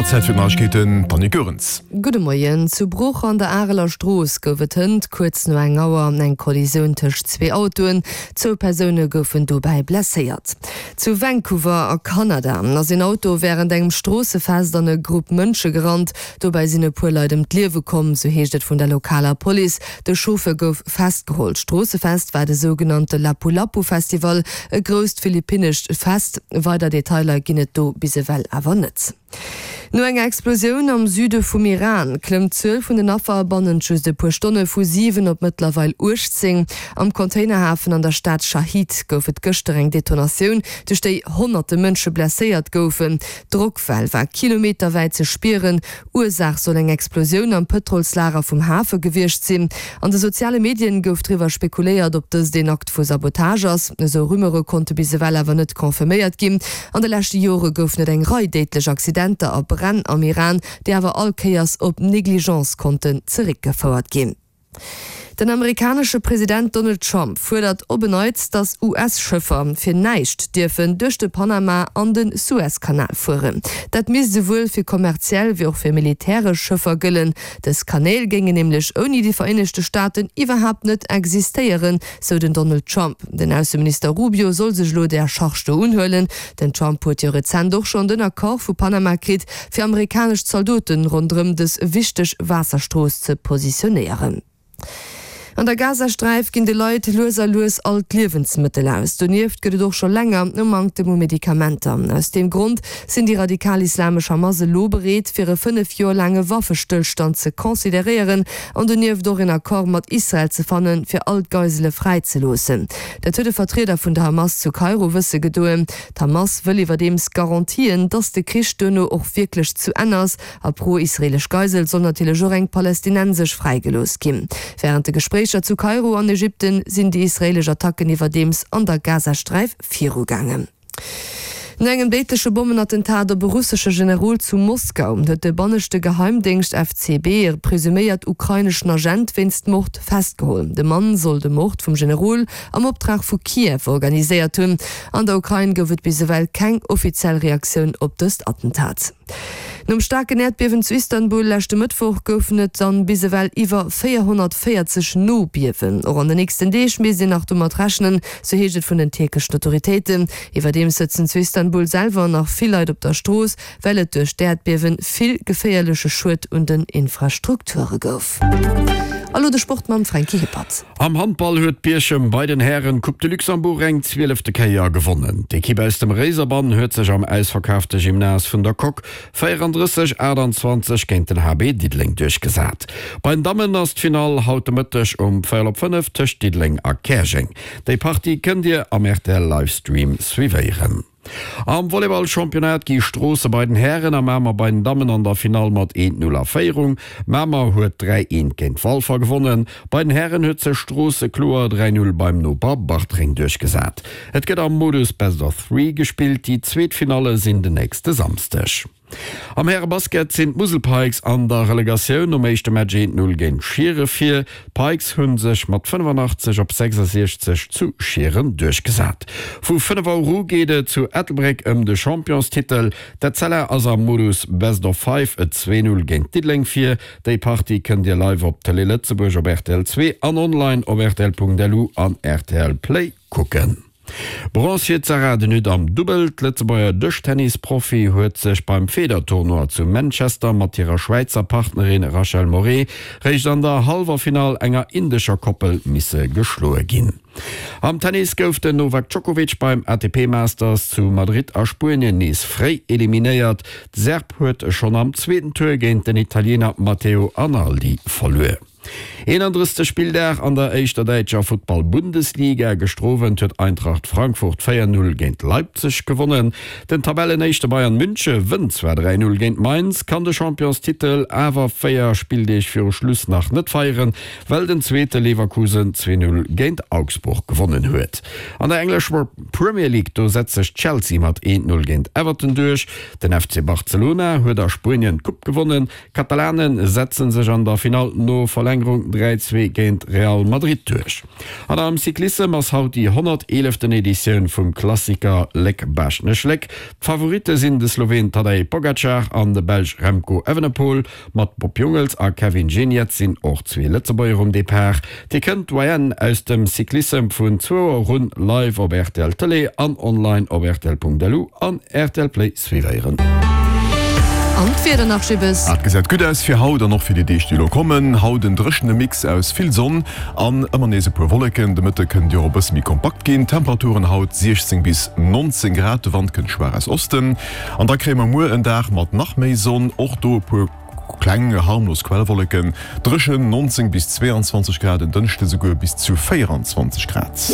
Auer, Zäit fir d'Neiegkeeten, d'Annick Goerens. Gudde Moien. Zu Bruch an der Areler Strooss gouf et hënt kuerz no eng Auer eng Kollisioun tëscht zwee Autoen. Zwou Persoune goufen dobäi blesséiert. Zu Vancouver a Kanada ass een Auto wärend engem Stroossefest an e Grupp Mënsche gerannt. Dobäi sinn e puer Leit ëm d'Liewe komm, sou heescht et vun der lokaler Police. De Chauffeur gouf festgeholl. D'Stroossefest war de sougenannte Lapu-Lapu-Festival, e grousst philippinnescht Fest. Weider Detailer ginn et do bis ewell awer net. No enger Explosioun am Süde vum Iran klëmmt d'Zuel vun den Affer bannent just e puer Stonne vu 7 op mëttlerweil 18. Am Containerhafen an der Stad Shahid gouf et gëschter eng Detonatioun, duerch déi honnerte Mënsche blesséiert goufen. D'Drockwell war kilometerwäit ze spieren. Ursaach soll eng Explosioun am Pëtrolslager vum Hafe gewiescht sinn. An de soziale Medien gouf driwwer spekuléiert, ob dëst een Akt vu Sabotage ass. Esou Rumeure konnte bis ewell awer net confirméiert ginn. An de leschte Jore goufen et eng Rei déidlech Accidenter a Bränn am Iran, déi awer all Kéiers op Negligence konnten zeréckgefouert ginn. Den amerikanesche President Donald Trump fuerdert op en Neits, datt US-Schëffer fir näischt dierfen duerch de Panama an de Suezkanal fueren. Dat misst esouwuel fir kommerziell wéi och fir militäresch Schëffer gëllen. Dës Kanäl géingen nämlech ouni déi Vereenegte Staaten iwwerhaapt net existéieren, sou den Donald Trump. Den Ausseminister Rubio soll sech elo där Charge do unhuelen. Den Trump huet jo rezent och schonn den Accord vu Panama kritt, fir amerikanesch Zaldoten ronderëm dës wichteg Waasserstrooss ze positionéieren. An der Gazasträif ginn de Leit lues a lues all d'Liewensmëttel aus. Donieft gëtt et och scho länger e Manktem u Medikamenter. Aus deem Grond sinn déi radikal-islamesch Hamas elo bereet, fir e 5 Joer laange Waffestëllstand ze consideréieren an donieft och een Accord mat Israel ze fannen, fir all d'Geisele fräizeloossen. Dat huet e Vertrieder vun der Hamas zu Kairo wësse gedoen. D'Hamas wëll iwwerdeems Garantien, datt de Krich duerno och wierklech zu Enn ass. A pro israeelesch Geisel soll natierlech och eng palästinensesch fräigelooss ginn. Wärend de Gespréicher zu Kairo an Ägypten sinn déi israeelesch Attacken iwwerdeems an der Gazasträif virugaangen. No engem déidleche Bommenattentat op e russesche Generol zu Moskau huet de banneschte Geheimdéngscht FCB e presuméiert ukraineschen Agent wéinst Mord festgeholl. De Mann soll de Mord vum Generol am Optrag vu Kiew organiséiert hunn. An der Ukrain gouf et bis ewell keng offiziell Reaktioun op dëst Attentat. Nom staarken Äerdbiewen zu Istanbul leschte Mëttwoch goufen et dann bis ewell iwwer 440 Nobiewen. Och an den nächsten Deeg misst een nach domat rechnen, sou heescht et vun den tierkeschen Autoritéiten. Iwwerdeems sëtzen zu Istanbul selwer nach vill Leit op der Strooss, well et duerch d'Äerdbiewe vill geféierleche Schued un den Infrastrukture gouf. A lo de Sport mam Franky Hippert. Am Handball huet Bierchem bei den Hären d'Coupe de Luxembourg eng zwielefte Kéier gewonnen. D'Ekipp aus dem Réiserbann huet sech am ausverkaafte Gymnase vun der Coque 34, 28 géint den HB Diddeleng duerchgesat. Bei den Dammen ass d'Finall haut de Mëtteg um véierel op 5 tëscht Diddeleng a Käerjeng. Déi Partie kënnt Dir am rtl Livestream suivéieren. Am Volleyball-Championnat gi Stroosse bei den Hären a Mamer bei den Dammen an der Finall mat 1, 0 a Féierung. Mamer huet 3, 1 géint Walfer gewonnen. Bei den Hären huet sech Stroosse kloer 3, 0 beim Noper Bartreng duerchgesat. Et gëtt am Modus Best of Three gespillt. Déi zweet Finalle sinn den nächste Samsdeg. Am Härebasket sinn d'Musel Pikes an der Relegatioun nom éischte Match 1, 0 géint Schiere vir. D'Pikes hu sech mat 85 op 66 zu Schieren duerchgesat. Vu 5 Auer u geet et zu Ettelbréck ëm de Championstitel. D'Etzella ass am Modus Best of Five 2, 0 géint Diddeleng vir. Déi Partie kënnt Dir live op Tëlee Lëtzebuerg op rtl 2 an online op rtl.lu an rtl Play kucken. Bronze fir d'Sarah De Nutte am Dubbel. D'Lëtzebuerger Dëschtennis-Profi huet sech beim Federtournoi zu Manchester mat hirer Schwäizer Partnerin Rachel Moret réischt an der Hallwerfinall enger indescher Koppel misse geschloe ginn. Am Tennis gouf den Novak Djokovic beim ATP Masters zu Madrid a Spuenien nees fréi eliminéiert. De Serb huet schonn am zweeten Tour géint den Italiener Matteo Arnaldi verluer. 31. Spilldag an der éischter däitscher Futtball-Bundesliga. Gëschter Owend huet Eintracht Frankfurt 4, 0 géint Leipzig gewonnen. Den Tabellenéischte Bayern Münche wënnt zwar 3, 0 géint Mainz, kann de Championstitel awer 4 Spilldeeg viru Schluss nach net feieren, well den Zweete Leverkusen 2, 0 géint Augsburg gewonnen huet. An der englescher Premier League, do setzt sech Chelsea mat 1, 0 géint Everton duerch. Den FC Barcelona huet a Spuenien d'Coupe gewonnen. D'Katalane setzen sech an der Finall no Verlängerung. Verlängerung 3, 2 géint Real Madrid duerch. An am Cyclissem ass haut déi 111. Editioun vum Klassiker Léck-Baaschtnech-Léck. D'Favoritte sinn de Sloween Tadej Pogacar an de Belsch Remco Evenepoel. Mat Bob Jungels a Kevin Geniets sinn och zwee Lëtzebuerger um Depart. Dir kënnt d'Doyenne aus dem Cyclissem vun zwou Auer un live op rtl Tëlee an online op rtl.lu an rtl Play suivéieren. An d'Wieder nach, Jibbes? Et gesäit gutt aus fir haut an och fir déi Deeg déi elo kommen. Haut en dréchene Mix aus vill Sonn an ëmmer nees e puer Wolleken. De Mëtte kënnt Dir och e bësse méi kompakt ginn. Temperaturen haut 16 bis 19 Grad, de Wand kënnt schwaach aus Osten. An da kréie mer muer en Dag mat nach méi Sonn, och do e puer kleng harmlos Quellwolleken, dréchen 19 bis 22 Grad, en Dënschde souguer bis zu 24 Grad.